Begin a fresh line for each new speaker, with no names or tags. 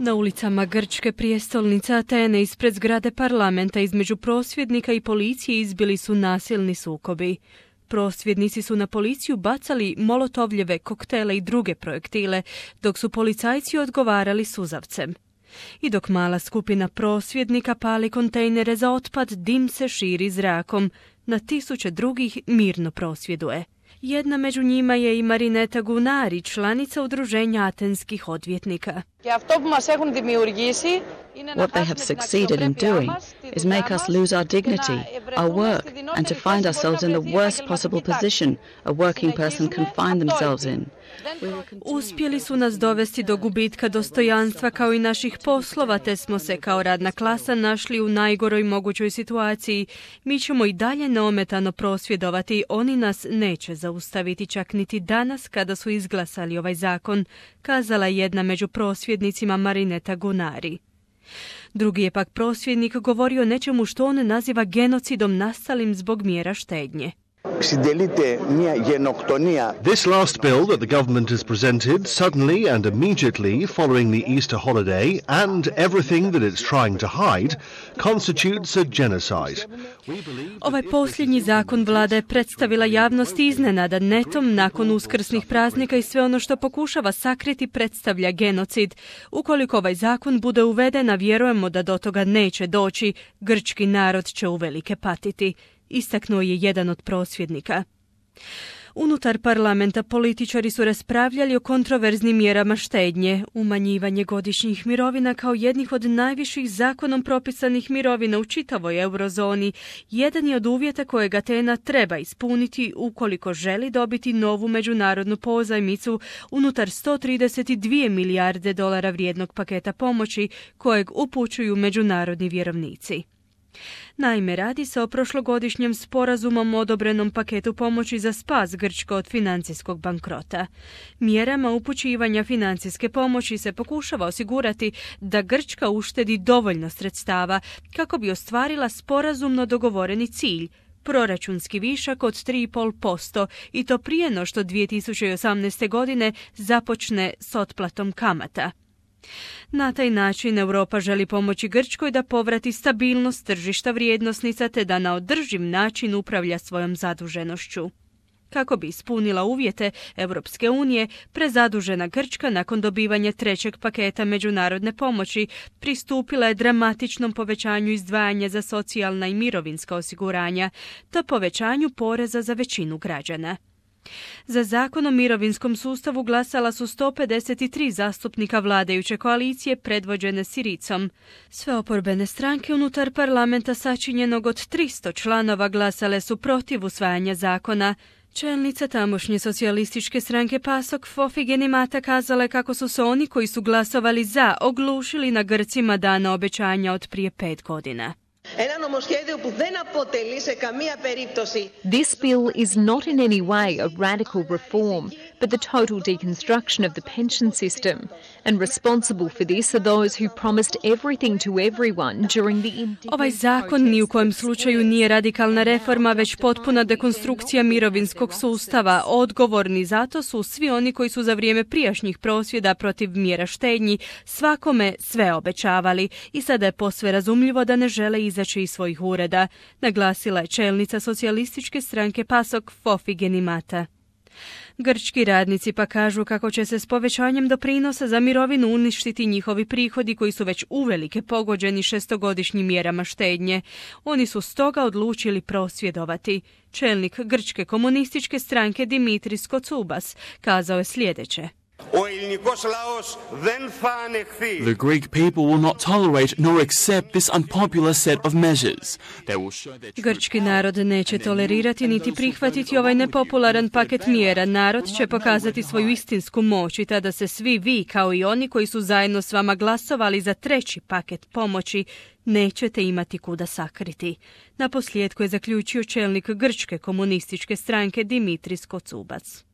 Na ulicama grčke prijestolnice Atene ispred zgrade parlamenta između prosvjednika i policije izbili su nasilni sukobi. Prosvjednici su na policiju bacali molotovljeve koktele i druge projektile, dok su policajci odgovarali suzavcem. I dok mala skupina prosvjednika pali kontejnere za otpad, dim se širi zrakom. Na tisuće drugih mirno prosvjeduje. Jedna među njima je i Marineta Gunari, članica udruženja atenskih odvjetnika.
What they have succeeded in doing is make us lose our dignity, our work, and to find ourselves in the worst possible position a working person can find themselves in.
Uspjeli su nas dovesti do gubitka dostojanstva kao i naših poslova, te smo se kao radna klasa našli u najgoroj mogućoj situaciji. Mi ćemo i dalje neometano prosvjedovati, oni nas neće zaustaviti čak niti danas kada su izglasali ovaj zakon, kazala jedna među prosvjednicima Marineta Gunari. Drugi je pak prosvjednik govorio o nečemu što on naziva genocidom nastalim zbog mjera štednje.
This last bill that the government has presented suddenly and immediately following the Easter holiday and everything that it's trying to hide constitutes a genocide.
Ovaj posljednji zakon vlada je predstavila javnosti iznenada netom nakon uskrsnih praznika i sve ono što pokušava sakriti predstavlja genocid. Ukoliko ovaj zakon bude uveden, a vjerujemo da do toga neće doći, grčki narod će uvelike patiti, istaknuo je jedan od prosvjednika. Unutar parlamenta političari su raspravljali o kontroverznim mjerama štednje, umanjivanje godišnjih mirovina kao jednih od najviših zakonom propisanih mirovina u čitavoj eurozoni. Jedan je od uvjeta kojeg Atena treba ispuniti ukoliko želi dobiti novu međunarodnu pozajmicu unutar 132 milijarde dolara vrijednog paketa pomoći kojeg upućuju međunarodni vjerovnici. Naime, radi se o prošlogodišnjem sporazumom odobrenom paketu pomoći za spas Grčke od financijskog bankrota. Mjerama upućivanja financijske pomoći se pokušava osigurati da Grčka uštedi dovoljno sredstava kako bi ostvarila sporazumno dogovoreni cilj, proračunski višak od 3,5% i to prije no što 2018. godine započne s otplatom kamata. Na taj način Europa želi pomoći Grčkoj da povrati stabilnost tržišta vrijednosnica te da na održiv način upravlja svojom zaduženošću. Kako bi ispunila uvjete Europske unije, prezadužena Grčka nakon dobivanja trećeg paketa međunarodne pomoći pristupila je dramatičnom povećanju izdvajanja za socijalna i mirovinska osiguranja te povećanju poreza za većinu građana. Za zakon o mirovinskom sustavu glasala su 153 zastupnika vladajuće koalicije predvođene Siricom. Sve oporbene stranke unutar parlamenta sačinjenog od 300 članova glasale su protiv usvajanja zakona. Čelnica tamošnje socijalističke stranke PASOK Fofi Genimata kazala je kako su se oni koji su glasovali za oglušili na Grcima dana obećanja od prije 5 godina.
This bill is not in any way a radical reform, but the total deconstruction of the pension system. And responsible for this are those who promised everything to everyone during the indignant
Ovaj zakon ni u kojem slučaju nije radikalna reforma, već potpuna dekonstrukcija mirovinskog sustava. Odgovorni zato su svi oni koji su za vrijeme prijašnjih prosvjeda protiv mjera štednji svakome sve obećavali i sada je posve razumljivo da ne žele izaći iz svojih ureda, naglasila je čelnica socijalističke stranke PASOK Fofi Genimata. Grčki radnici pa kažu kako će se s povećanjem doprinosa za mirovinu uništiti njihovi prihodi koji su već uvelike pogođeni šestogodišnjim mjerama štednje. Oni su stoga odlučili prosvjedovati. Čelnik grčke komunističke stranke Dimitris Kotsoupas kazao je sljedeće.
The Greek people will not tolerate nor accept this unpopular set of measures.
Grčki narod neće tolerirati niti prihvatiti ovaj nepopularan paket mjera. Narod će pokazati svoju istinsku moć i tada se svi vi, kao i oni koji su zajedno s vama glasovali za treći paket pomoći, nećete imati kuda sakriti. Naposljetku je zaključio čelnik grčke komunističke stranke Dimitris Kotsoupas.